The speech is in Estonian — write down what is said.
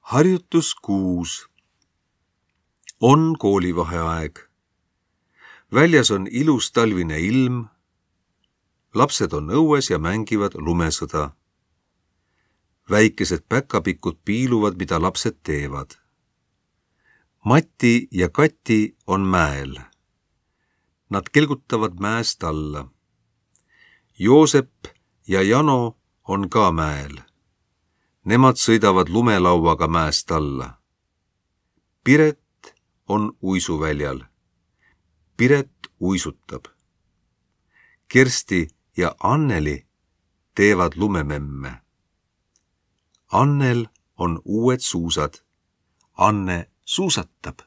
Harjutus 6. On koolivaheaeg. Väljas on ilus talvine ilm. Lapsed on õues ja mängivad lumesõda. Väikesed päkapikud piiluvad, mida lapsed teevad. Mati ja Kati on mäel. Nad kelgutavad mäest alla. Joosep ja Jano on ka mäel. Nemad sõidavad lumelauaga mäest alla. Piret on uisuväljal. Piret uisutab. Kersti ja Anneli teevad lumememme. Annel on uued suusad. Anne suusatab.